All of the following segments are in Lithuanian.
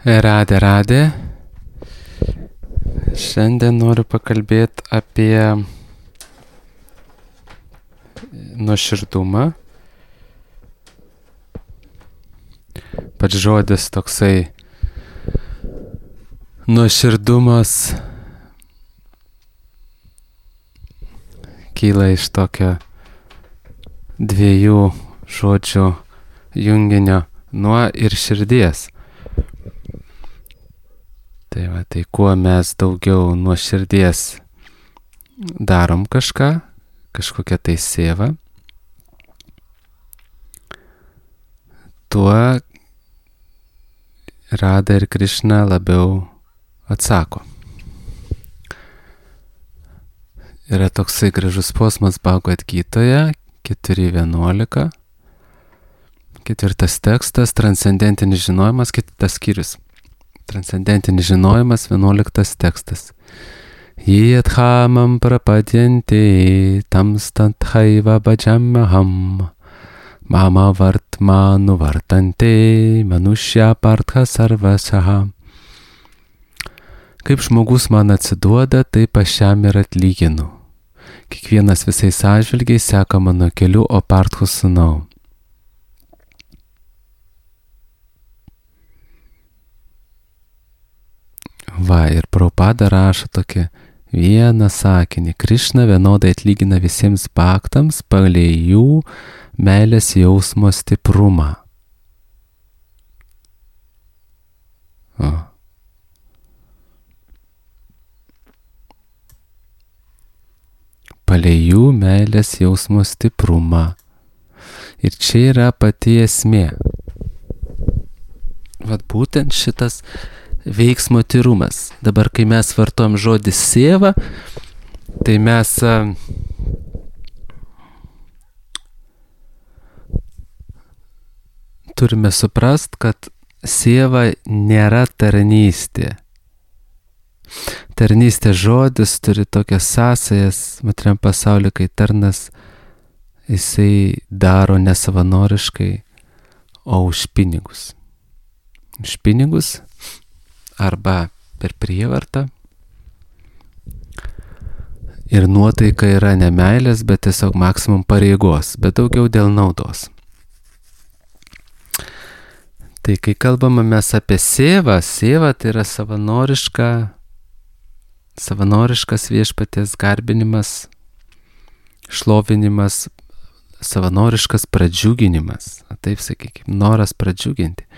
Radė. Šiandien noriu pakalbėti apie nuoširdumą. Pats žodis toksai nuoširdumas kyla iš tokio dviejų žodžių junginio nuo ir širdies. Tai kuo mes daugiau nuo širdies darom kažkokią tai sėvą, tuo Radha ir Krišna labiau atsako. Yra toksai gražus posmas Bhagavad Gitoje, 4.11. Ketvirtas tekstas, transcendentinis žinojimas, kitas skyrius. Transcendentinis žinojimas, 11 tekstas. Jėdhamam prapadyanti tamstanthaiva bhajamaham mama vartmanu vartante manushya partha sarvasaha. Kaip žmogus man atsiduoda, taip aš jam ir atlyginu. Kiekvienas visais atžvilgiais seka mano keliu, o Parthos sūnau. Ir Prabhupada rašo tokį vieną sakinį. Krišna vienodai atlygina visiems bhaktams pagal jų meilės jausmo stiprumą. Palei jų meilės jausmo stiprumą. Ir čia yra pati esmė. Būtent šitas veiksmo tyrumas. Dabar, kai mes vartojam žodį sėva, tai mes turime suprast, kad sėva nėra tarnystė. Tarnystė žodis turi tokias sąsajas materialiam pasauliu, kai tarnas jisai daro nesavanoriškai, o už pinigus. Už pinigus arba per prievartą. Ir nuotaika yra ne meilės, bet tiesiog maksimum pareigos, bet daugiau dėl naudos. Tai kai kalbame mes apie sėvą tai yra savanoriškas viešpaties garbinimas, šlovinimas, savanoriškas pradžiuginimas. Taip sakykime, noras pradžiuginti.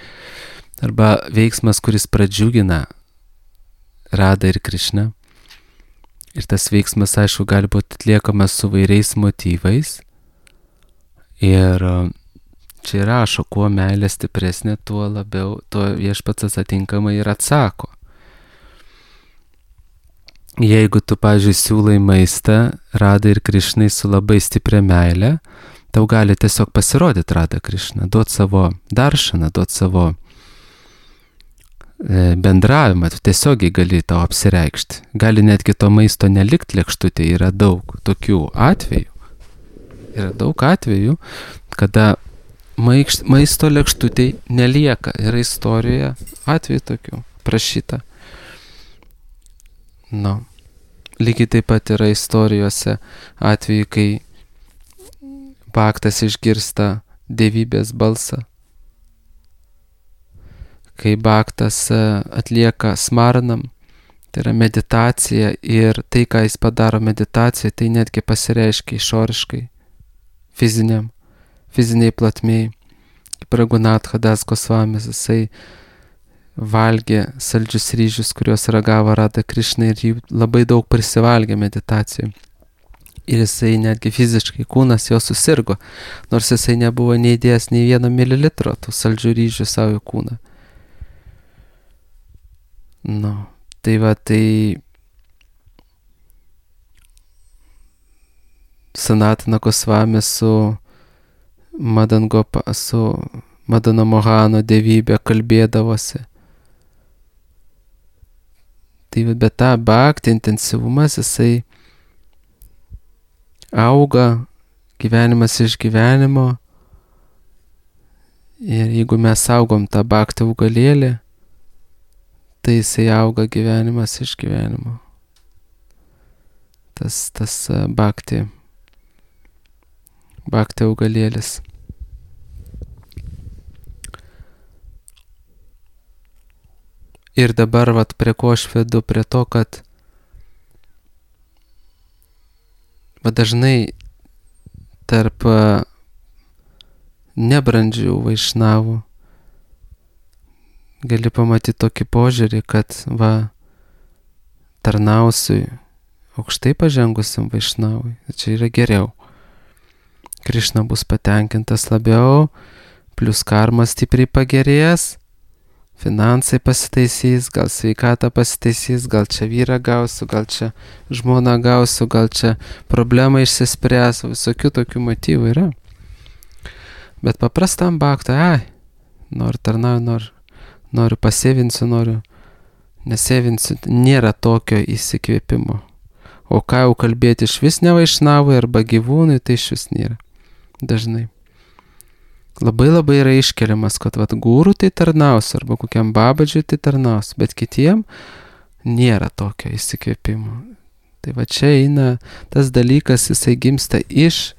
Arba veiksmas, kuris pradžiugina Radha ir Krišną. Ir tas veiksmas, aišku, gali būti atliekamas su vairiais motyvais. Ir čia rašo, kuo meilė stipresnė, tuo viešpats atinkamai ir atsako. Jeigu tu, pavyzdžiui, siūlai maistą Radha ir Krišnai su labai stipria meilė, tau gali tiesiog pasirodyti Radha Krišna, duot savo daršaną, duot savo bendravimą, tu tiesiogiai gali tau apsireikšti. Gali netgi to maisto nelikt lėkštutėje, yra daug tokių atvejų. Yra daug atvejų, kada maisto lėkštutėje nelieka. Yra istorijoje atvejų tokių prašyta. Lygiai taip pat yra istorijose atvejų, kai bhaktas išgirsta dievybės balsą. Kai bhaktas atlieka smaranam, tai yra meditacija, ir tai, ką jis padaro meditacijoje, tai netgi pasireiškia išoriškai, fiziniai platmėj. Kaip Raghunatha Das Gosvamis, jisai valgė saldžius ryžius, kuriuos ragavo Radha Krišna, ir jų labai daug prisivalgė meditacijoje. Ir jisai netgi fiziškai, kūnas jo susirgo, nors jisai nebuvo neįdėjęs nei 1 mililitro tų saldžių ryžių savo kūną. Tai Sanatana Gosvami su Madana Mohano dievybė kalbėdavosi. Bet tą bhakti intensyvumas, jisai auga gyvenimas iš gyvenimo. Ir jeigu mes saugom tą bhakti augalėlį, tai jisai auga gyvenimas iš gyvenimo. Tas bhakti augalėlis. Ir dabar prie ko aš vedu, prie to, kad dažnai tarp nebrandžių vaišnavų gali pamatyti tokį požiūrį, kad tarnausiu aukštai pažengusiam vaišnavui, čia yra geriau. Krišna bus patenkintas labiau, plus karma stipriai pagerės, finansai pasitaisys, gal sveikata pasitaisys, gal čia vyrą gausiu, gal čia žmoną gausiu, gal čia problema išsispręs, visokių tokių motyvų yra. Bet paprastam bhaktui, noriu tarnauti, noriu pasėvinsiu, noriu nesėvinsiu, nėra tokio įsikvėpimo. O ką jau kalbėti iš vis ne vaišnavui arba gyvūnui, tai iš vis nėra. Dažnai. Labai yra iškeliamas, kad gūrų tai tarnaus, arba kokiam babadžiui tai tarnaus, bet kitiem nėra tokio įsikvėpimo. Tai čia eina tas dalykas, jisai gimsta iš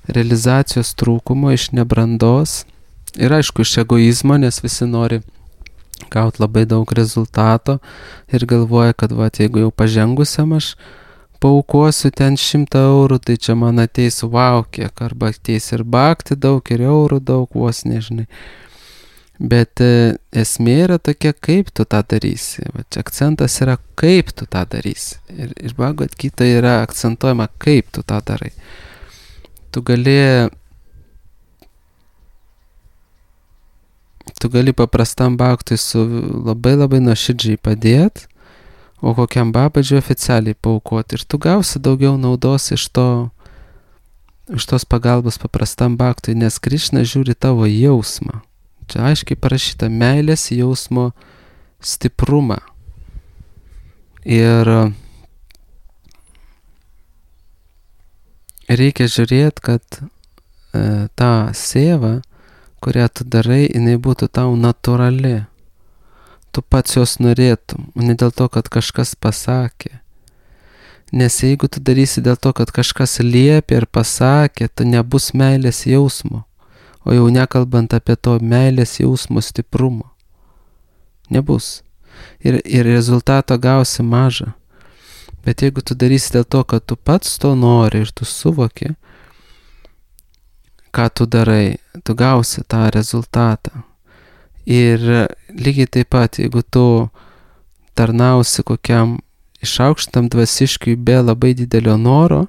realizacijos trūkumo, iš nebrandos ir aišku iš egoizmo, nes visi nori gauti labai daug rezultato ir galvoja, kad jeigu jau pažengusiam aš paaukosiu ten 100 eurų, tai čia man ateis kiek, arba ateis ir bhakti daug, ir eurų daug, vos nežinai. Bet esmė yra tokia, kaip tu tą darysi. Čia akcentas yra, kaip tu tą darysi. Ir Bhagavad Gita yra akcentuojama, kaip tu tą darai. Tu gali paprastam bhaktui su labai nuoširdžiai padėti, o kokiam babadžiui oficialiai paaukoti. Ir tu gausi daugiau naudos iš tos pagalbos paprastam bhaktui, nes Krišna žiūri tavo jausmą. Čia aiškiai parašyta meilės jausmo stiprumą. Ir reikia žiūrėti, kad ta seva, kurią tu darai, jinai būtų tau natūrali. Tu pats jos norėtum, ne dėl to, kad kažkas pasakė. Nes jeigu tu darysi dėl to, kad kažkas liepė ir pasakė, tu nebus meilės jausmo, o jau nekalbant apie to meilės jausmo stiprumo. Nebus. Ir rezultato gausi mažą. Bet jeigu tu darysi dėl to, kad tu pats to nori ir tu suvoki, ką tu darai, tu gausi tą rezultatą. Ir lygiai taip pat, jeigu tu tarnausi kokiam išaukštam dvasiškiui be labai didelio noro,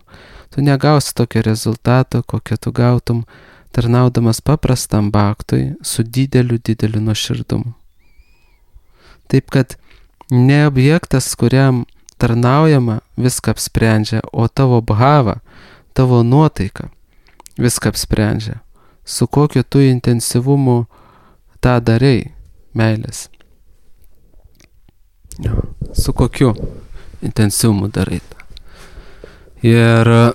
tu negausi tokio rezultato, kokio tu gautum tarnaudamas paprastam bhaktui su dideliu nuoširdumu. Taip kad ne objektas, kuriam tarnaujama, viską apsprendžia, o tavo bhava, tavo nuotaika viską apsprendžia. Su kokiu tu intensyvumu tą darai, meilės. Su kokiu intensyvumu darai tą. Ir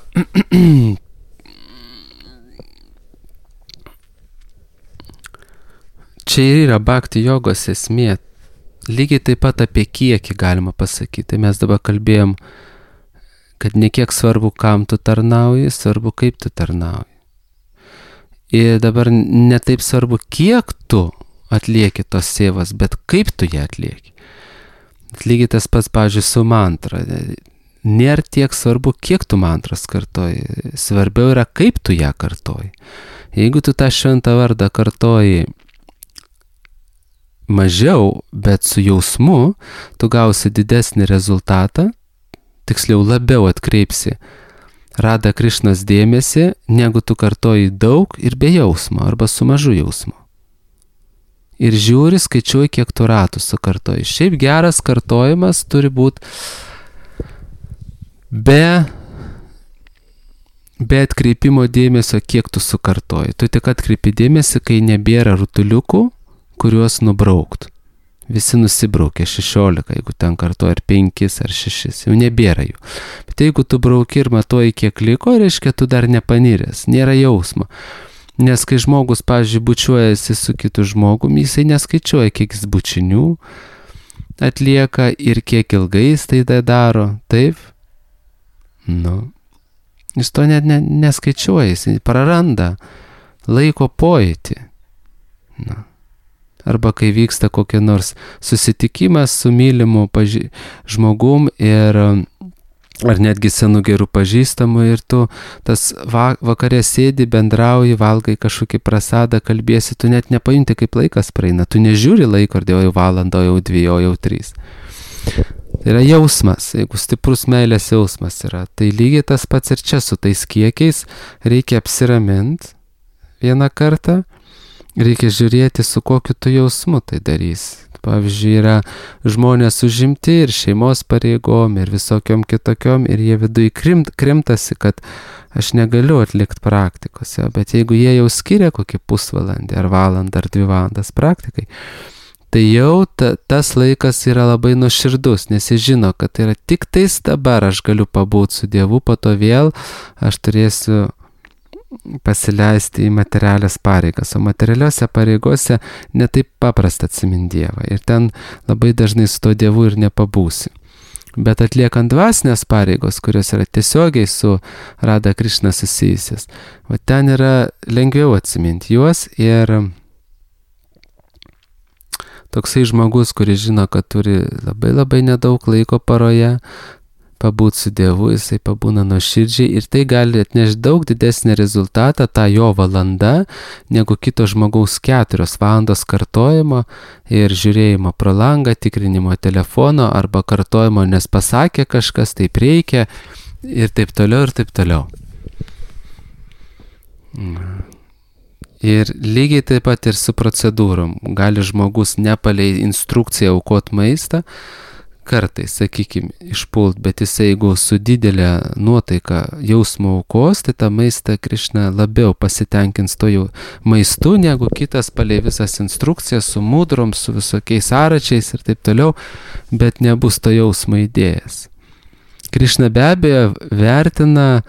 čia yra bhakti jogos esmė. Lygiai taip pat apie kiekį galima pasakyti. Tai mes dabar kalbėjom, kad ne kiek svarbu, kam tu tarnauji, svarbu, kaip tu tarnauji. Ir dabar ne taip svarbu, kiek tu atlieki tos sėvas, bet kaip tu ją atlieki. Lygiai tas pats, pavyzdžiui, su mantra. Nėra tiek svarbu, kiek tu mantras kartoji. Svarbiau yra, kaip tu ją kartoji. Jeigu tu tą šventą vardą kartoji mažiau, bet su jausmu, tu gausi didesnį rezultatą, tiksliau labiau atkreipsi Radha Krišnos dėmesį, negu tu kartoji daug ir be jausmo, arba su mažu jausmu. Ir žiūri, skaičiuoji, kiek tu ratų sukartoji. Šiaip geras kartojimas turi būti be atkreipimo dėmesio, kiek tu sukartoji. Tu tik atkreipi dėmesį, kai nebėra rutuliukų, kuriuos nubraukt. Visi nusibraukė 16, jeigu ten kartoja ar 5 ar 6, jau nebėra jų. Bet jeigu tu brauki ir matuoji, kiek liko, reiškia, tu dar nepaniręs, nėra jausmo. Nes kai žmogus, pavyzdžiui, bučiuojasi su kitu žmogumi, jisai neskaičiuoja, kiek jis bučinių, atlieka ir kiek ilgai jis tai daro, taip? Jis to net neskaičiuoja, jis praranda laiko pojūtį. Arba kai vyksta kokia nors susitikimas su mylimu žmogum ar netgi senų gerų pažįstamų ir tu tas vakare sėdi, bendrauji, valgai kažkokį prasadą, kalbėsi, tu net nepajunti, kaip laikas praeina, tu nežiūri laiko, ar jau valandą, jau 2, jau 3. Tai yra jausmas, jeigu stiprus meilės jausmas yra, tai lygiai tas pats ir čia su tais kiekiais reikia apsiraminti vieną kartą, reikia žiūrėti, su kokiu tu jausmu tai darys. Pavyzdžiui, yra žmonės užimti ir šeimos pareigom ir visokiom kitokiom ir jie viduje krimtasi, kad aš negaliu atlikti praktikos, bet jeigu jie jau skiria kokį pusvalandį ar valandą ar 2 valandas praktikai, tai jau tas laikas yra labai nuoširdus, nes jie žino, kad tai yra tik tais dabar aš galiu pabūti su Dievu, po to vėl aš turėsiu pasileisti į materialias pareigas, o materialiuose pareigose netaip paprasta atsiminti Dievą ir ten labai dažnai su to Dievu ir nepabūsi. Bet atliekant dvasinės pareigos, kurios yra tiesiogiai su Radha Krišna susijusios, ten yra lengviau atsiminti juos ir toksai žmogus, kuris žino, kad turi labai labai nedaug laiko paroje, pabūti su Dievu, jisai pabūna nuoširdžiai ir tai gali atnešti daug didesnį rezultatą, tą jo valanda, negu kito žmogaus 4 valandos kartojimo ir žiūrėjimo pro langą, tikrinimo telefono arba kartojimo, nes pasakė kažkas, taip reikia ir taip toliau ir taip toliau. Ir lygiai taip pat ir su procedūrom. Gali žmogus nepalei instrukciją aukot maistą, kartais, sakykime, išpult, bet jisai, jeigu su didelė nuotaika jausmo aukos, tai tą maistą Krišna labiau pasitenkins to jau maistu, negu kitas palei visas instrukcijas su mudrom, su visokiais aračiais ir taip toliau, bet nebus to jausmo idėjas. Krišna be abejo vertina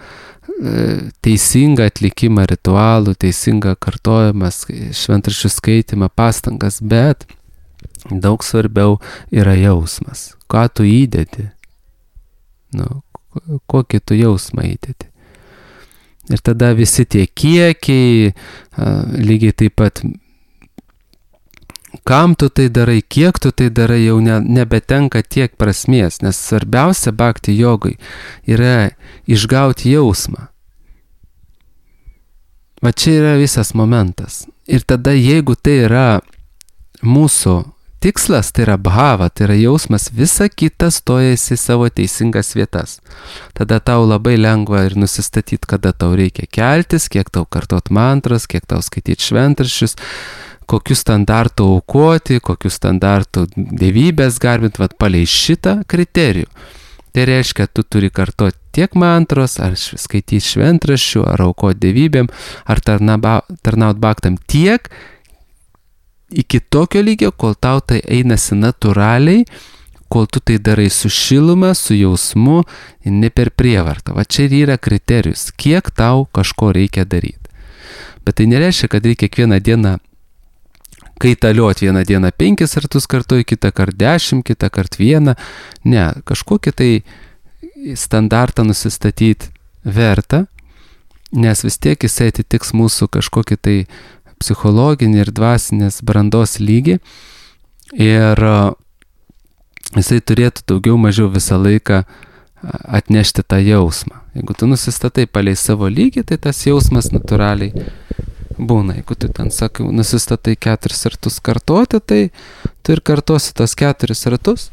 teisingą atlikimą ritualų, teisingą kartojimas, šventraščių skaitimą, pastangas, bet daug svarbiau yra jausmas. Ką tu įdedi? Kokį tu jausmą įdedi? Ir tada visi tie kiekiai, lygiai taip pat, kam tu tai darai, kiek tu tai darai, jau nebetenka tiek prasmės, nes svarbiausia bhakti jogai yra išgauti jausmą. Va čia yra visas momentas. Ir tada, jeigu tai yra mūsų tikslas, tai yra bhava, tai yra jausmas, visa kita stojasi savo teisingas vietas. Tada tau labai lengva ir nusistatyti, kada tau reikia keltis, kiek tau kartot mantras, kiek tau skaityti šventraščius, kokių standartų aukoti, kokių standartų dievybės garbinti, palei šitą kriterijų. Tai reiškia, tu turi kartoti tiek mantros, ar skaityti šventraščių, ar aukoti dievybėm, ar tarnaut bhaktam tiek, iki tokio lygio, kol tau tai einasi natūraliai, kol tu tai darai su šiluma, su jausmu, ne per prievartą. Va čia ir yra kriterijus, kiek tau kažko reikia daryti. Bet tai nereiškia, kad reikia kiekvieną dieną kaitalioti, vieną dieną 5 kartus kartuoji, kitą kartą 10, kitą kartą 1. Ne, kažkokį tai standartą nusistatyti verta, nes vis tiek jisai atitiks mūsų kažkokį tai psichologinį ir dvasinės brandos lygį ir jisai turėtų daugiau mažiau visą laiką atnešti tą jausmą. Jeigu tu nusistatai palei savo lygį, tai tas jausmas natūraliai būna. Jeigu tu ten, sakai, nusistatai 4 kartus kartoti, tai tu ir kartosi tos 4 kartus.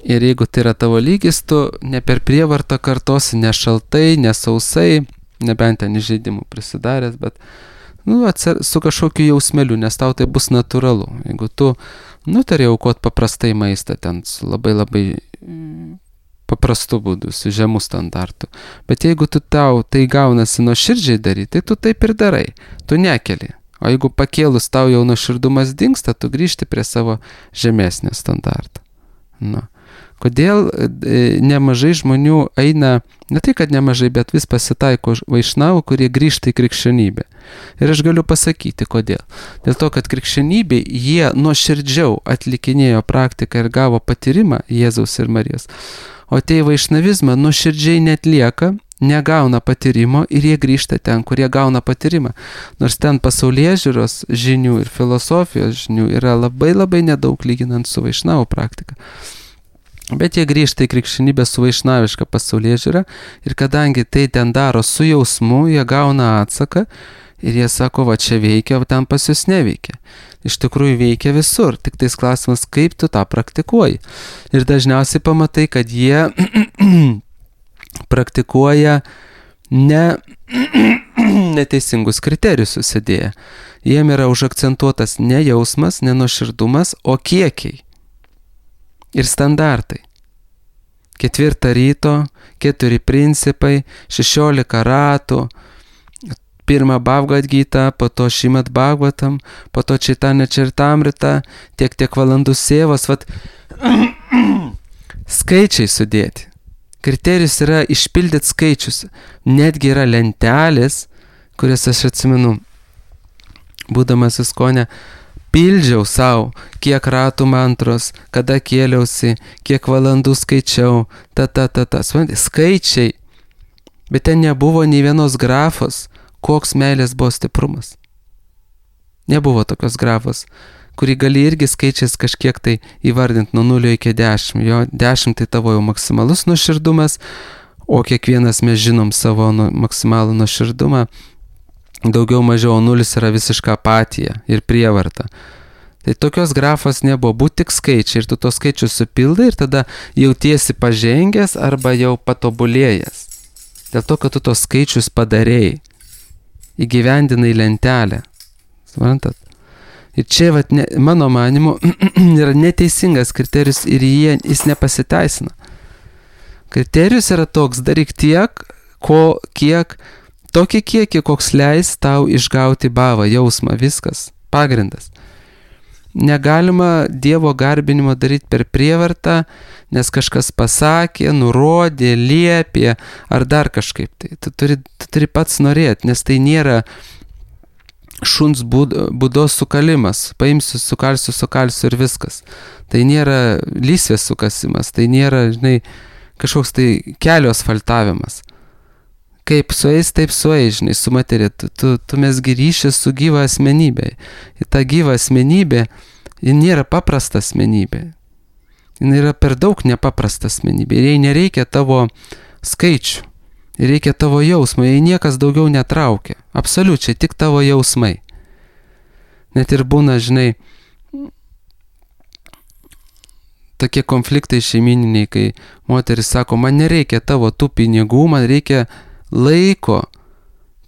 Ir jeigu tai yra tavo lygis, tu ne per prievartą kartosi, ne šaltai, ne sausai, nebent ten įžeidimų prisidaręs, bet su kažkokiu jausmeliu, nes tau tai bus natūralu. Jeigu tu nutari aukoti paprastai maistą ten su labai labai paprastu būdu, su žemu standartu, bet jeigu tau tai gaunasi nuoširdžiai daryti, tai tu taip ir darai, tu nekeli. O jeigu pakėlus tau jau nuoširdumas dingsta, tu grįžti prie savo žemesnio standarto. Kodėl nemažai žmonių eina, ne tai kad nemažai, bet vis pasitaiko vaišnavų, kurie grįžta į krikščionybę. Ir aš galiu pasakyti, kodėl. Dėl to, kad krikščionybė jie nuoširdžiau atlikinėjo praktiką ir gavo patyrimą Jėzaus ir Marijos. O tie vaišnavizmą nuoširdžiai netlieka, negauna patyrimo ir jie grįžta ten, kur jie gauna patyrimą. Nors ten pasaulėžiūros žinių ir filosofijos žinių yra labai nedaug lyginant su vaišnavų praktika. Bet jie grįžta į krikščionybę su vaišnaviška pasaulėžiūra ir kadangi tai ten daro su jausmu, jie gauna atsaką ir jie sako, va čia veikia, o ten pas jūs neveikia. Iš tikrųjų veikia visur, tik tais klausimas, kaip tu tą praktikuoji. Ir dažniausiai pamatai, kad jie praktikuoja neteisingus kriterijus susidėję. Jiem yra užakcentuotas ne jausmas, ne nuoširdumas, o kiekiai ir standartai. 4 ryto, 4 principai, 16 ratų, 1 Bhagavad Gita, po to Šrimad Bhagavatam, po to Chaitanya Charitamrita, tiek valandų sėvos, skaičiai sudėti. Kriterijus yra išpildyti skaičius. Netgi yra lentelės, kurias aš atsimenu, būdamas Iskone, pildžiau savo, kiek ratų mantros, kada kėliausi, kiek valandų skaičiau, skaičiai. Bet ten nebuvo nei vienos grafos, koks meilės buvo stiprumas. Nebuvo tokios grafos, kurį gali irgi skaičiais kažkiek tai įvardinti nuo 0 iki 10. Jo 10 tai tavo jau maksimalus nuoširdumas, o kiekvienas mes žinom savo maksimalų nuoširdumą. Daugiau mažiau 0 yra visiška apatija ir prievarta. Tai tokios grafos nebuvo, būt tik skaičiai ir tu tos skaičius supildai ir tada jautiesi pažengęs arba jau patobulėjęs. Dėl to, kad tu tos skaičius padarėjai, įgyvendinai lentelę. Suprantat? Ir čia, mano manimu, yra neteisingas kriterijus ir jis nepasiteisina. Kriterijus yra toks, daryk tiek, tokį kiekį, koks leis tau išgauti bhavą, jausmą, viskas, pagrindas. Negalima Dievo garbinimo daryti per prievartą, nes kažkas pasakė, nurodė, liepė ar dar kažkaip. Tu turi pats norėti, nes tai nėra šuns būdos sukalimas. Paimsiu, sukalsiu ir viskas. Tai nėra lysvės sukasimas, tai nėra, kažkoks tai kelio asfaltavimas. Kaip sueis, taip sueis, su materija. Tu mesgi ryšį su gyva asmenybė. Ir ta gyva asmenybė, ji nėra paprasta asmenybė. Ji yra per daug nepaprasta asmenybė. Ir jai nereikia tavo skaičių. Ir reikia tavo jausmų. Jai niekas daugiau netraukia. Absoliučiai, tik tavo jausmai. Net ir būna, tokie konfliktai šeimininiai, kai moteris sako, man nereikia tavo tų pinigų, man reikia laiko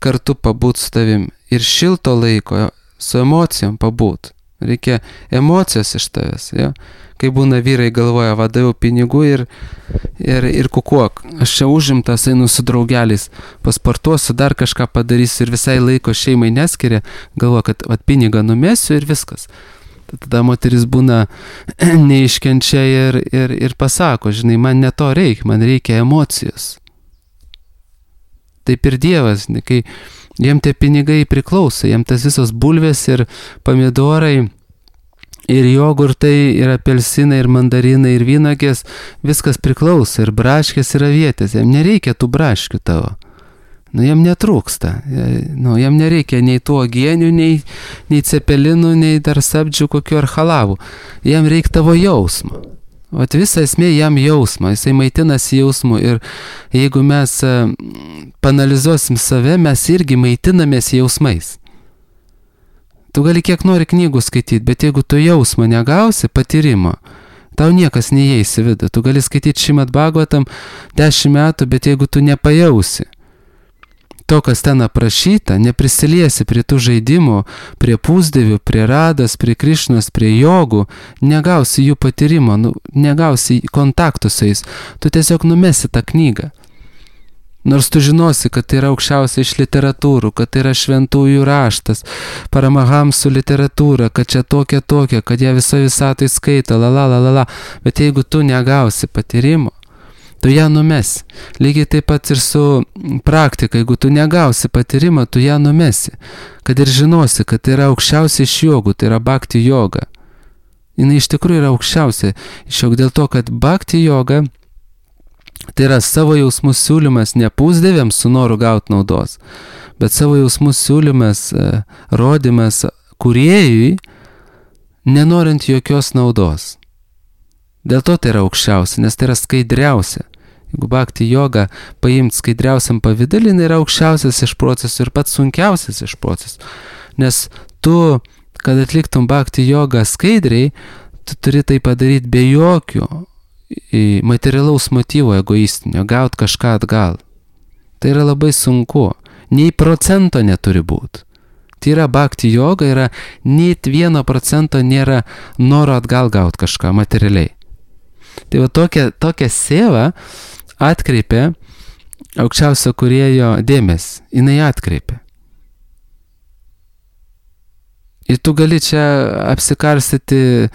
kartu pabūt su tavim ir šilto laiko su emocijom pabūt. Reikia emocijos iš tavęs. Ja? Kai būna vyrai galvoja, daviau pinigų ir kukuok. Aš čia užimtas, einu su draugeliais, pasportuosiu, dar kažką padarysiu ir visai laiko šeimai neskiria, galvoja, kad pinigą numesiu ir viskas. Tada moteris būna neiškenčia ir pasako, man ne to reikia, man reikia emocijos. Taip ir Dievas, kai jiem tie pinigai priklauso, jiem tas visos bulvės ir pomidorai ir jogurtai ir apelsinai ir mandarinai ir vynogės, viskas priklauso ir braškės ir avietės, jiem nereikia tų braškių tavo. Jiem netrūksta, jiem nereikia nei tų uogienių, nei cepelinų, nei dar sabdžių kokių ar halavų, jiem reikia tavo jausmo. Visa esmė jam jausmo, jisai maitinasi jausmu ir jeigu mes panalizuosim save, mes irgi maitinamės jausmais. Tu gali kiek nori knygų skaityti, bet jeigu tu jausmo negausi, patyrimo, tau niekas neįeis į vidų. Tu gali skaityti Šrimad Bhagavatam 10 metų, bet jeigu tu nepajausi to, kas ten aprašyta, neprisiliesi prie tų žaidimų, prie pusdievių, prie radas, prie Krišnos, prie jogų, negausi jų patyrimo, negausi kontaktų su jais, tu tiesiog numesi tą knygą. Nors tu žinosi, kad tai yra aukščiausia iš literatūrų, kad tai yra šventųjų raštas, Paramahamsų literatūra, kad čia tokia, kad ją visoje visatoje skaito, bet jeigu tu negausi patyrimo, tu ją numesi. Lygiai taip pat ir su praktika, jeigu tu negausi patyrimo, tu ją numesi. Kad ir žinosi, kad tai yra aukščiausia iš jogų, tai yra bhakti joga. Jis iš tikrųjų yra aukščiausia iš jogų, dėl to, kad bhakti joga tai yra savo jausmų siūlymas ne pusdieviams su noru gauti naudos, bet savo jausmų siūlymas, rodymas kūrėjui, nenorint jokios naudos. Dėl to tai yra aukščiausia, nes tai yra skaidriausia. Jeigu bhakti joga paimti skaidriausiam pavidalį, yra aukščiausias iš procesų ir pats sunkiausias iš procesų. Nes tu, kad atliktum bhakti jogą skaidriai, tu turi tai padaryti be jokio materialaus motyvo egoistinio, gauti kažką atgal. Tai yra labai sunku. Nei procento neturi būti. Tai yra bhakti joga, yra net 1% nėra noro atgal gauti kažką materialiai. Tai va tokia seva atkreipia aukščiausio kūrėjo dėmesį. Jinai atkreipia. Ir tu gali čia apsikarstyti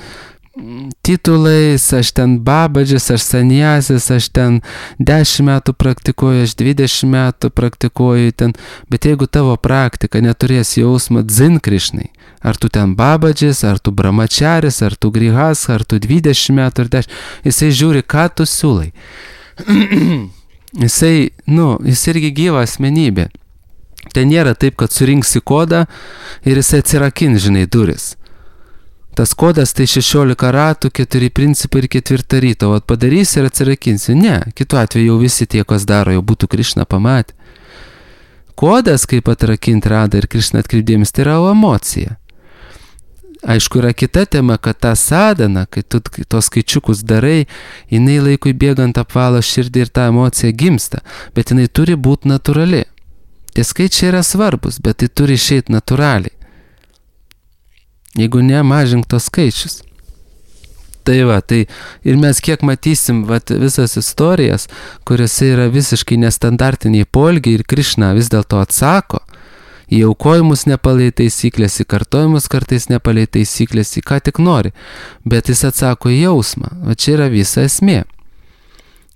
titulais, aš ten babadžis, aš sanjasis, aš ten 10 metų praktikuoju, aš 20 metų praktikuoju ten, bet jeigu tavo praktika neturės jausmą dzin Krišnai, ar tu ten babadžis, ar tu brahmačaris, ar tu grihas, ar tu 20 metų ar 10, jisai žiūri, ką tu siūlai. Jis irgi gyva asmenybė. Ten nėra taip, kad surinksi kodą ir jisai atsirakins, duris. Tas kodas tai 16 ratų, 4 principai ir 4 ryto, o padarysi ir atsirakinsi. Ne, kitu atveju jau visi tie, kas daro, jau būtų Krišna pamatę. Kodas, kaip atrakinti radą ir Krišna atkreipdėmis, tai yra emocija. Aišku, yra kita tema, kad ta sadana, kai tu tos skaičiukus darai, jinai laikui bėgant apvalo širdį ir ta emocija gimsta, bet jinai turi būti natūrali. Tie skaičiai yra svarbus, bet tai turi išeiti natūraliai. Jeigu ne, mažink tos skaičius. Tai ir mes kiek matysim visas istorijas, kuriuose yra visiškai nestandartiniai poelgiai ir Krišna vis dėlto atsako į aukojimus nepalei taisyklės, į kartojimus kartais nepalei taisyklės, į ką tik nori, bet jis atsako į jausmą. O čia yra visa esmė.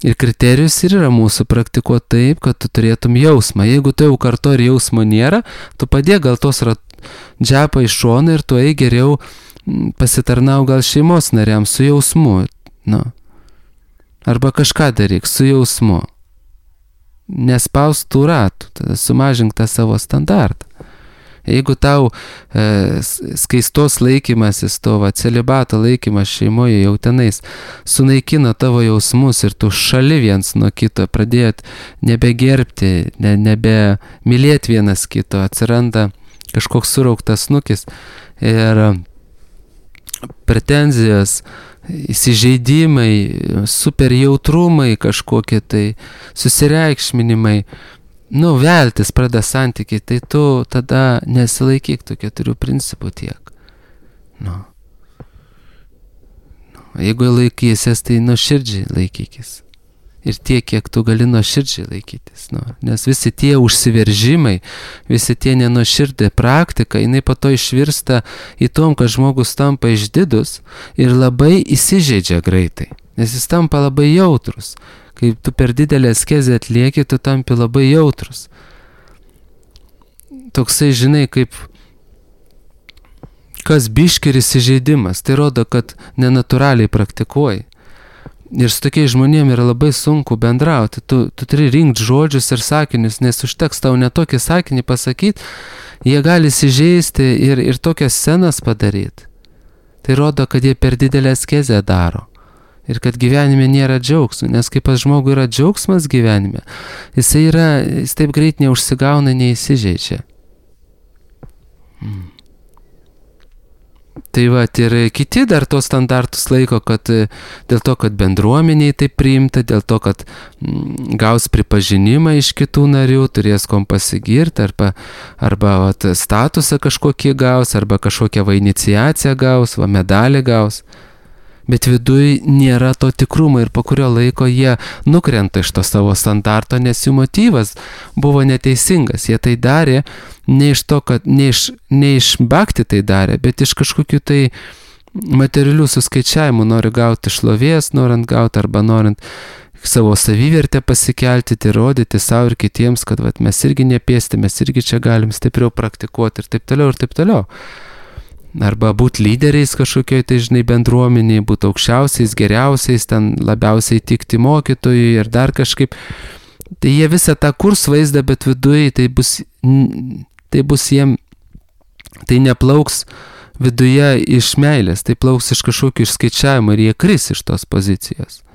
Ir kriterijus ir yra mūsų praktikuoti taip, kad tu turėtum jausmą. Jeigu tu jau kartu ir jausmo nėra, tu padėk gal tos džepą iš šoną ir tu ei geriau pasitarnau gal šeimos nariams su jausmu. Arba kažką daryk su jausmu. Nespaus tų ratų, tada sumažink tą savo standartą. Jeigu tau skaistos laikymasis, to celibato laikymas šeimoje jau tenais sunaikino tavo jausmus ir tu šali viens nuo kito, pradėjot nebegerbti, nebemylėti vienas kito, atsiranda kažkoks surauktas snukis ir pretenzijos, įsižeidimai, super jautrumai kažkokie tai, susireikšminimai, veltis pradeda santykiai, tai tu tada nesilaikyk tų 4 principų tiek. Jeigu laikysies, tai nuoširdžiai laikykis. Ir tiek, kiek tu gali nuoširdžiai laikytis. Nes visi tie užsiveržimai, visi tie nenuoširdė praktika, jinai po to išvirsta į tom, kad žmogus tampa išdidus ir labai įsižeidžia greitai. Nes jis tampa labai jautrus. Kai tu per didelę askezę atlieki, tu tampi labai jautrus. Toksai, kaip kas biški ir įsižeidimas. Tai rodo, kad nenatūraliai praktikuoji. Ir su tokiais žmonėmis yra labai sunku bendrauti. Tu turi rinkti žodžius ir sakinius, nes užteks tau netokį sakinį pasakyti, jie gali įsižeisti ir tokias scenas padaryti. Tai rodo, kad jie per didelę askezę daro. Ir kad gyvenime nėra džiaugsmo, nes kaip pas žmogų yra džiaugsmas gyvenime, jis taip greit neužsigauna, neįsižeidžia. Tai ir kiti dar tos standartus laiko, kad dėl to, kad bendruomeniai taip priimta, dėl to, kad gaus pripažinimą iš kitų narių, turės kom pasigirti, arba statusą kažkokį gaus, arba kažkokią iniciaciją gaus, medalį gaus. Bet viduj nėra to tikrumo ir po kurio laiko jie nukrenta iš to savo standarto, nes jų motyvas buvo neteisingas. Jie tai darė ne iš to, kad ne iš bhakti tai darė, bet iš kažkokių tai materialių suskaičiavimų, nori gauti šlovės, norint gauti arba norint savo savivertę pasikelti, tai rodyti savo ir kitiems, kad vat, mes irgi nepėsti, mes irgi čia galim stipriau praktikuoti ir taip toliau ir taip toliau. Arba būti lyderiais kažkokioj tai, žinai, bendruomeniai, būti aukščiausiais, geriausiais, ten labiausiai tikti mokytojui ir dar kažkaip. Tai jie visą tą kurs vaizdą, bet viduje tai bus jiem, tai neplauks viduje iš meilės, tai plauks iš kažkokių išskaičiavimų ir jie kris iš tos pozicijos.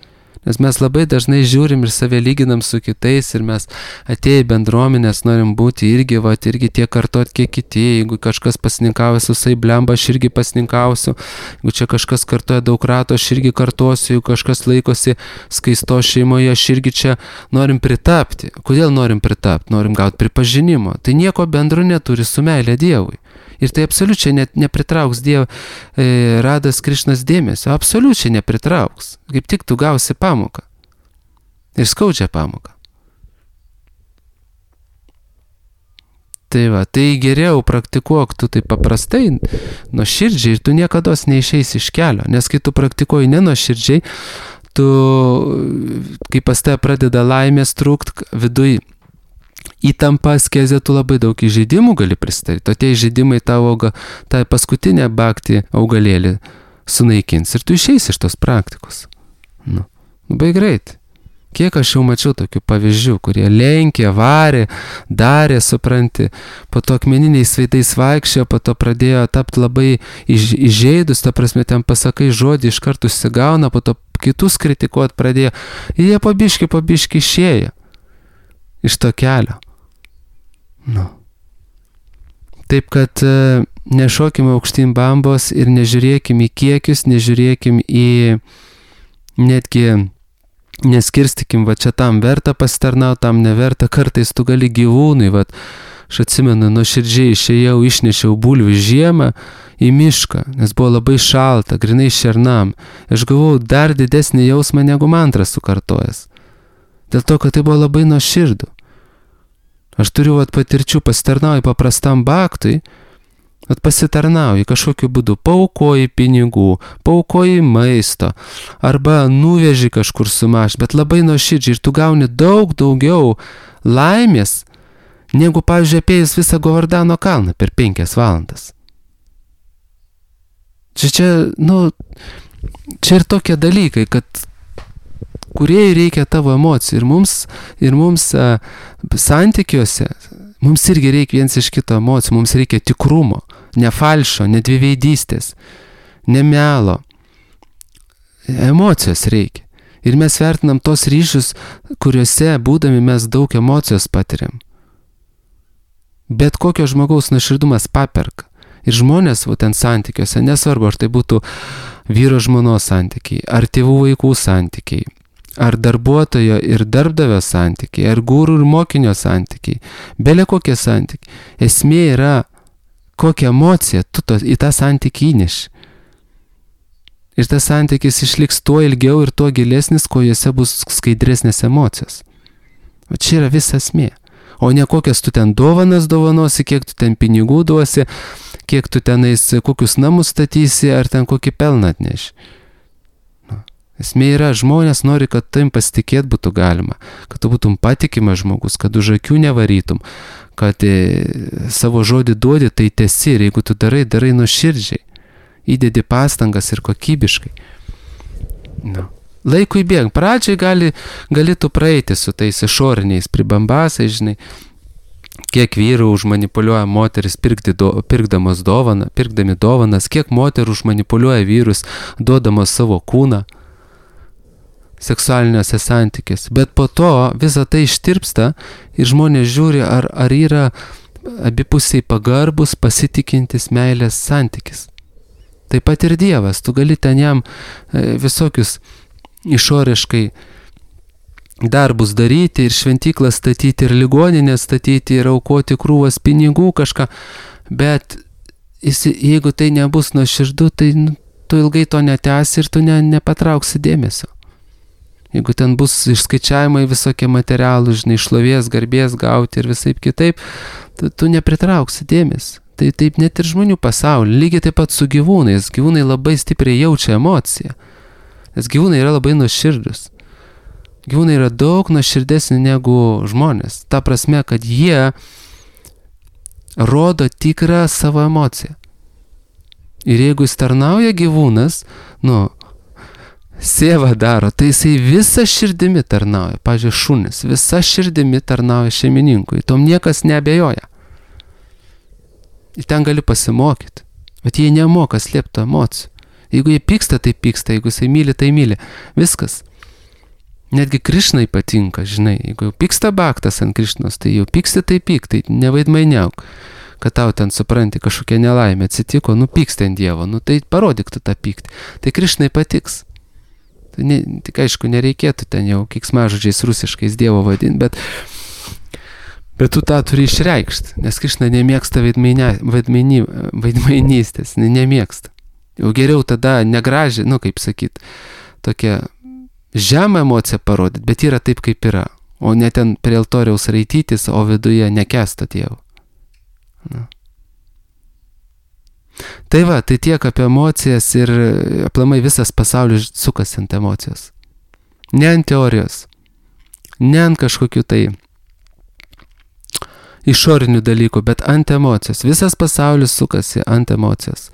Nes mes labai dažnai žiūrim ir save lyginam su kitais ir mes atėję į bendruomenės norim būti irgi tiek kartot, kiek kiti. Jeigu kažkas pasninkauja su blemba, aš irgi pasninkausiu. Jeigu čia kažkas kartoja daug rato, aš irgi kartosiu. Jeigu kažkas laikosi skaisto šeimoje, aš irgi čia norim pritapti. Kodėl norim pritapti? Norim gauti pripažinimo. Tai nieko bendro neturi su meilė Dievui. Ir tai absoliučiai net nepritrauks Radas Krišnas dėmesio. Absoliučiai nepritrauks. Kaip tik tu gausi pamoką. Ir skaudžią pamoką. Tai va, tai geriau praktikuok tu tai paprastai, nuoširdžiai ir tu niekados neišeisi iš kelio. Nes kai tu praktikuoji nenuoširdžiai, tu, kai pas tave pradeda laimės trūkt viduj, įtampa, askezė, tu labai daug įžeidimų gali pristatyti. O tie įžeidimai tavo tą paskutinę bhakti augalėlį sunaikins ir tu išeisi iš tos praktikos. Labai greit. Kiek aš jau mačiau tokių pavyzdžių, kurie lenkė, varė, darė, supranti, po to akmeniniais veidais vaikščiojo, po to pradėjo tapti labai įžeidus, ta prasme, ten pasakai žodį, iš karto užsigauna, po to kitus kritikuot pradėjo. Ir jie pabiški išėjo iš to kelio. Taip kad nešokime aukštyn bambos ir nežiūrėkim į kiekius, nežiūrėkim į netgi neskirstykim, va čia tam verta pasitarnauti, tam neverta. Kartais tu gali gyvūnui, va, aš atsimenu, nuoširdžiai išėjau, išnešiau bulvių žiemą į mišką, nes buvo labai šalta, grinai šernam. Aš gavau dar didesnį jausmą negu mantras sukartojęs. Dėl to, kad tai buvo labai nuoširdu. Aš turiu patirčių, pasitarnauju paprastam bhaktui, pasitarnauju kažkokiu būdu, paaukoji pinigų, paaukoji maisto, arba nuveži kažkur sumaž, bet labai nuoširdžiai ir tu gauni daug daugiau laimės, negu, pavyzdžiui, apėjus visą Govardhano kalną per 5 valandas. Čia ir tokie dalykai, kad kuriai reikia tavo emocijų ir mums santykiuose, mums irgi reikia viens iš kito emocijų, mums reikia tikrumo, ne falšo, ne dviveidystės, ne melo. Emocijos reikia. Ir mes vertinam tos ryšius, kuriuose būdami mes daug emocijos patiriam. Bet kokio žmogaus nuoširdumas paperka. Ir žmonės ten santykiuose, nesvarbu, ar tai būtų vyro žmonos santykiai, ar tėvų vaikų santykiai, ar darbuotojo ir darbdavio santykiai, ar gūrų ir mokinio santykiai, belė kokie santykiai. Esmė yra, kokią emociją tu į tą santykį įneši. Ir tas santykis išliks tuo ilgiau ir tuo gilesnis, kuo juose bus skaidresnės emocijos. O čia yra visa esmė. O ne kokias tu ten dovanas dovanosi, kiek tu ten pinigų duosi, kiek tu tenais kokius namus statysi, ar ten kokį pelną atneši. Esmė yra, žmonės nori, kad tavim pasitikėt būtų galima, kad tu būtum patikimas žmogus, kad už akių nevarytum, kad savo žodį duodi, tai tesi ir jeigu tu darai nuoširdžiai, įdedi pastangas ir kokybiškai. Laikui bėgant, pradžiai gali tu praeiti su tais išoriniais pribambasais, žinai, kiek vyrų užmanipuliuoja moteris pirkdami dovanas, kiek moterų užmanipuliuoja vyrus duodamos savo kūną seksualiniuose santykiuose. Bet po to visa tai ištirpsta ir žmonės žiūri, ar yra abipusiai pagarbus, pasitikintis meilės santykis. Taip pat ir Dievas, tu gali ten jam visokius išoriškai darbus daryti ir šventyklą statyti, ir ligoninę statyti, ir aukoti krūvas pinigų kažką, bet jeigu tai nebus nuoširdu, tai tu ilgai to netęsi ir tu nepatrauksi dėmesio. Jeigu ten bus išskaičiavimai visokie materialų, žinai, šlovės, garbės gauti ir visaip kitaip, tu nepritrauksi dėmesio. Tai taip net ir žmonių pasaulyje, lygiai taip pat su gyvūnais. Gyvūnai labai stipriai jaučia emociją, nes gyvūnai yra labai nuoširdus. Gyvūnai yra daug nuoširdesni negu žmonės. Ta prasme, kad jie rodo tikrą savo emociją. Ir jeigu jis tarnauja gyvūnas, sėva daro, tai jisai visą širdimi tarnauja. Pavyzdžiui, šunis visą širdimi tarnauja šeimininkui. Tom niekas neabejoja. Ir ten gali pasimokyti. Bet jie nemoka slėpti emocijų. Jeigu jie pyksta, tai pyksta. Jeigu jisai myli, tai myli. Viskas. Netgi Krišnai patinka, žinai. Jeigu jau pyksta baktas ant Krišnos, tai jau pyksti, tai pyk. Tai nevaidmainiauk. Kad tau ten supranti kažkokia nelaimė atsitiko, pyksti ant Dievo. Tai parodyk tu tą pyktį. Tai Krišnai patiks. Tik aišku, nereikėtų ten jau keiksmažodžiais rusiškais Dievo vadinti, bet tu tą turi išreikšti, nes Krišna nemėgsta vaidmainystės, nemėgsta. Jau geriau tada negražiai, kaip sakyt, tokia žemą emociją parodyti, bet yra taip, kaip yra, o ne ten prie altoriaus raitytis, o viduje nekęsta Dievo. Tai va, tai tiek apie emocijas ir aplamai visas pasaulis sukasi ant emocijos. Ne ant teorijos, ne ant kažkokių tai išorinių dalykų, bet ant emocijos. Visas pasaulis sukasi ant emocijos.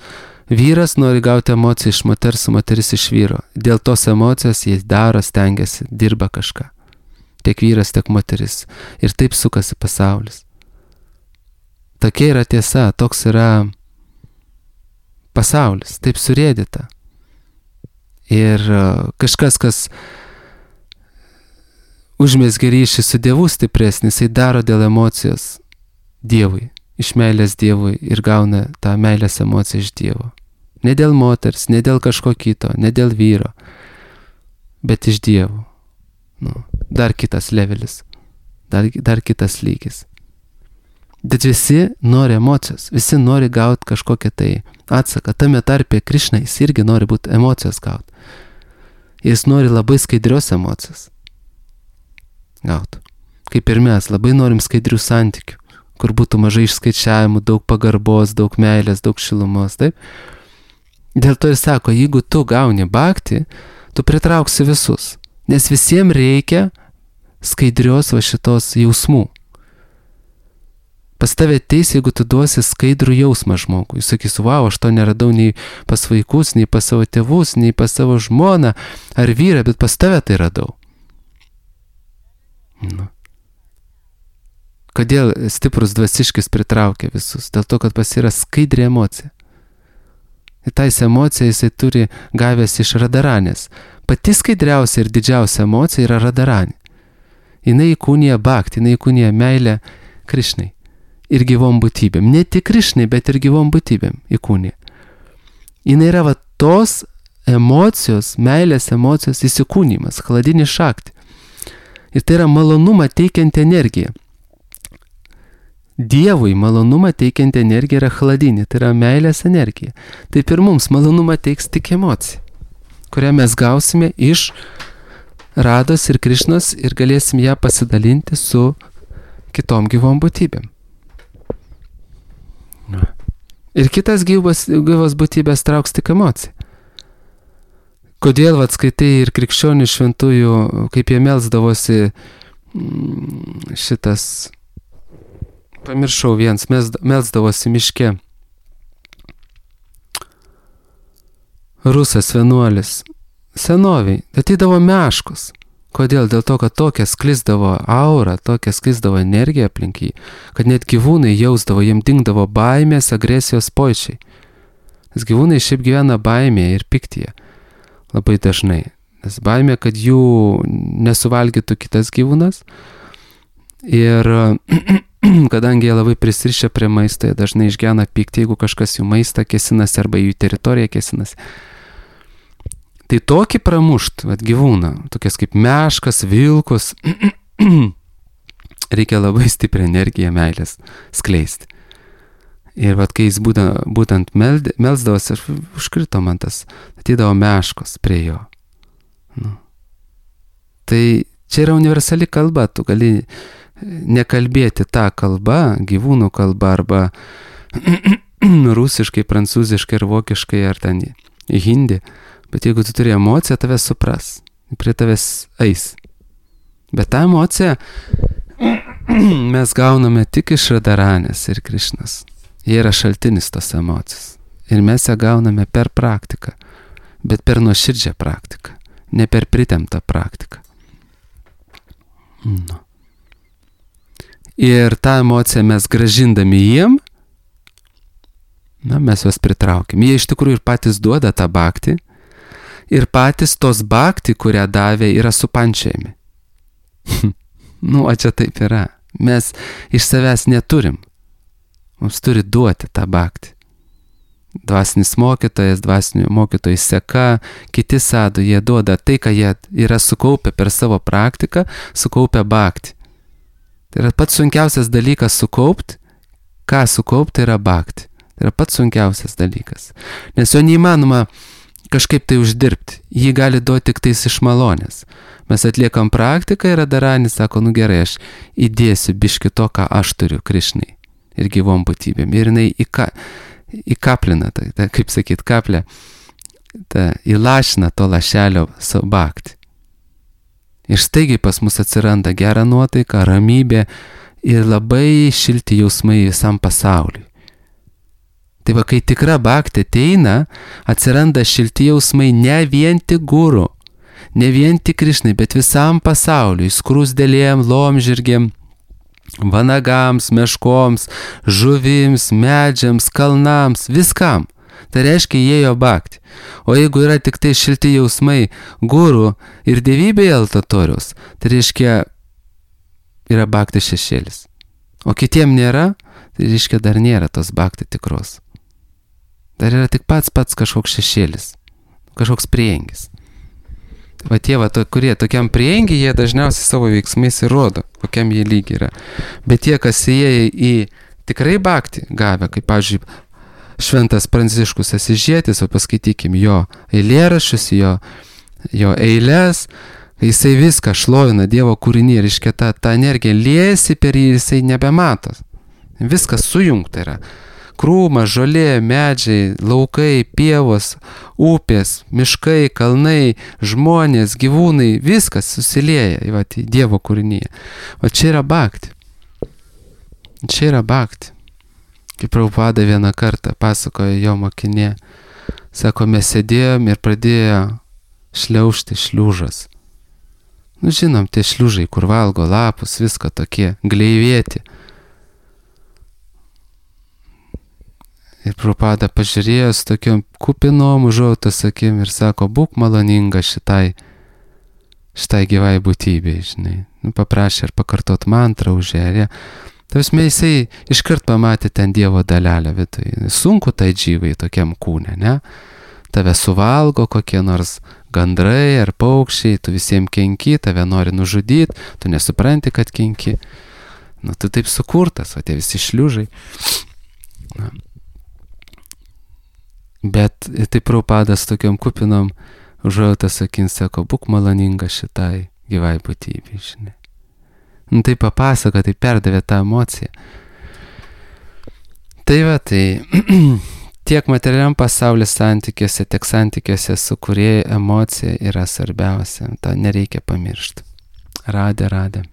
Vyras nori gauti emociją iš moters, moteris iš vyro. Dėl tos emocijos jis daro, stengiasi, dirba kažką. Tiek vyras, tiek moteris. Ir taip sukasi pasaulis. Tokia yra tiesa, toks yra pasaulis, taip surėdyta. Ir kažkas, kas užmezgė ryšį su Dievu stipresnis, jisai daro dėl emocijos Dievui, iš meilės Dievui ir gauna tą meilės emociją iš Dievo. Ne dėl moters, ne dėl kažko kito, ne dėl vyro, bet iš Dievo. Dar kitas levelis, dar kitas lygis. Bet visi nori emocijos, visi nori gauti kažkokią tai atsaką. Tame tarpe Krišna, jis irgi nori būti emocijos gauti. Jis nori labai skaidrios emocijos gauti. Kaip ir mes, labai norim skaidrių santykių, kur būtų mažai išskaičiavimų, daug pagarbos, daug meilės, daug šilumos, taip? Dėl to ir sako, jeigu tu gauni bhakti, tu pritrauksi visus, nes visiems reikia skaidrios va šitos jausmų. Pas tave ateis, jeigu tu duosi skaidrų jausmą žmogui. Jis sakys, wow, aš to neradau nei pas vaikus, nei pas savo tėvus, nei pas savo žmoną ar vyrą, bet pas tave tai radau. Kodėl stiprus dvasiškis pritraukia visus? Dėl to, kad pas yra skaidri emocija. Ir tais emociją jisai turi gavęs iš Radaranės. Pati skaidriausia ir didžiausia emocija yra Radaranė. Jinai įkūnija bhakti, jinai įkūnija meilę Krišnai. Ir gyvom būtybėm. Ne tik Krišnai, bet ir gyvom būtybėm įkūnija. Jinai yra va tos emocijos, meilės emocijos įsikūnymas, chladini šakti. Ir tai yra malonumą teikianti energija. Dievui malonumą teikianti energija yra chladinė, tai yra meilės energija. Taip ir mums malonumą teiks tik emocija, kurią mes gausime iš Rados ir Krišnos ir galėsim ją pasidalinti su kitom gyvom būtybėm. Ir kitas gyvos būtybės trauks tik emociją. Kodėl skaitai ir krikščionių šventųjų, kaip jie melsdavosi šitas, pamiršau viens, melsdavosi miške. Rusas vienuolis, senoviai, atidavo meškus. Kodėl? Dėl to, kad tokia sklisdavo aura, tokia sklisdavo energija aplink jį, kad net gyvūnai jausdavo, jiem dingdavo baimės, agresijos pojūčiai. Nes gyvūnai šiaip gyvena baimėje ir piktyje labai dažnai. Nes baimė, kad jų nesuvalgytų kitas gyvūnas. Ir kadangi jie labai prisirišę prie maisto, jie dažnai išgyvena pyktį, jeigu kažkas jų maistą kėsinasi arba jų teritoriją kėsinasi. Tai tokį pramušt, gyvūną, tokias kaip meškas, vilkus, reikia labai stiprią energiją meilės skleisti. Ir vat, kai jis būtent melsdavosi, užkrito man tas, atydavo meškos prie jo. Nu. Tai čia yra universali kalba, tu gali nekalbėti tą kalbą, gyvūnų kalbą arba rusiškai, prancūziškai ar vokiškai ar ten hindi, bet jeigu tu turi emociją, tave supras, prie tavęs eis. Bet tą emociją mes gauname tik iš Radharanės ir Krišnos. Jie yra šaltinis tos emocijos. Ir mes ją gauname per praktiką, bet per nuoširdžią praktiką, ne per pritemptą praktiką. Nu. Ir tą emociją mes grąžindami jiem, mes juos pritraukiam. Jie iš tikrųjų ir patys duoda tą bhaktį, ir patys tos bhaktį, kurią davė, yra supančiami. Čia taip yra. Mes iš savęs neturim. Mums turi duoti tą bhaktį. Dvasinis mokytojas, dvasinių mokytojų seka, kiti sadhu, jie duoda tai, ką jie yra sukaupę per savo praktiką, sukaupę bhaktį. Tai yra pats sunkiausias dalykas sukaupti. Ką sukaupti yra bhaktį. Tai yra pats sunkiausias dalykas. Nes jo neįmanoma kažkaip tai uždirbti. Jį gali duoti tik tais iš malonės. Mes atliekam praktiką ir Radharanis sako, gerai, aš įdėsiu biški to, ką aš turiu Krišnai ir gyvom būtybėm. Ir jinai įkaplina, kaip sakyt, kaplę, įlašina to lašelio savo bhaktį. Ir staigiai pas mus atsiranda gera nuotaika, ramybė ir labai šilti jausmai visam pasauliui. Tai va, kai tikra bhaktį ateina, atsiranda šilti jausmai ne vien tik guru, ne vien tik Krišnai, bet visam pasauliui, skruzdėlėm, laumžirgėm, vanagams, meškoms, žuvims, medžiams, kalnams, viskam. Tai reiškia, įėjo bhaktį. O jeigu yra tik tai šilti jausmai guru ir dievybėje altatoriaus, tai reiškia, yra bhaktį šešėlis. O kitiem nėra, tai reiškia, dar nėra tos bhaktį tikros. Dar yra tik pats kažkoks šešėlis, kažkoks priengis. Va tie, kurie tokiam priengi, jie dažniausiai savo veiksmais įrodo, kokiam jie lygiai yra. Bet tie, kas įėjo į tikrai bhaktį gavę, kaip, pavyzdžiui, Šventas Pranciškus Asižietis, o paskaitykim jo eilėraščius, jo eiles, jisai viską šlovina Dievo kūrinį, reiškia, ta energija liejasi per jį, jisai nebemato. Viskas sujungta yra. Krūmas, žolė, medžiai, laukai, pievos, upės, miškai, kalnai, žmonės, gyvūnai, viskas susilieja į Dievo kūrinyje. O čia yra bhaktį. Čia yra bhaktį. Kaip Prabhupada vieną kartą pasakojo jo mokinė, sako, mes sėdėjom ir pradėjo šliaužti šliužas. Žinom, tie šliužai, kur valgo lapus, viską tokie, gleivėti. Ir Prabhupada pažiūrėjo su tokiom kupinom užuojautos akim ir sako, būk maloninga šitai gyvai būtybei, žinai. Paprašė ir pakartot mantrą už ją. Tausme, jisai iškart pamatė ten Dievo dalelę viduje. Sunku tai džyvai tokiam kūne, ne? Tave suvalgo kokie nors gandrai ar paukščiai, tu visiems kenki, tave nori nužudyti, tu nesupranti, kad kenki. Tu taip sukurtas, o tie visi šliužai. Bet taip Prabhupadas tokiom kupinom užuojautos akim sako, būk maloninga šitai gyvai būtybei, žinai. Tai papasako, tai perdavė tą emociją. Tai tiek materialiam pasaulio santykiuose, tiek santykiuose su Kūrėju emocija yra svarbiausia. To nereikia pamiršti. Radhe.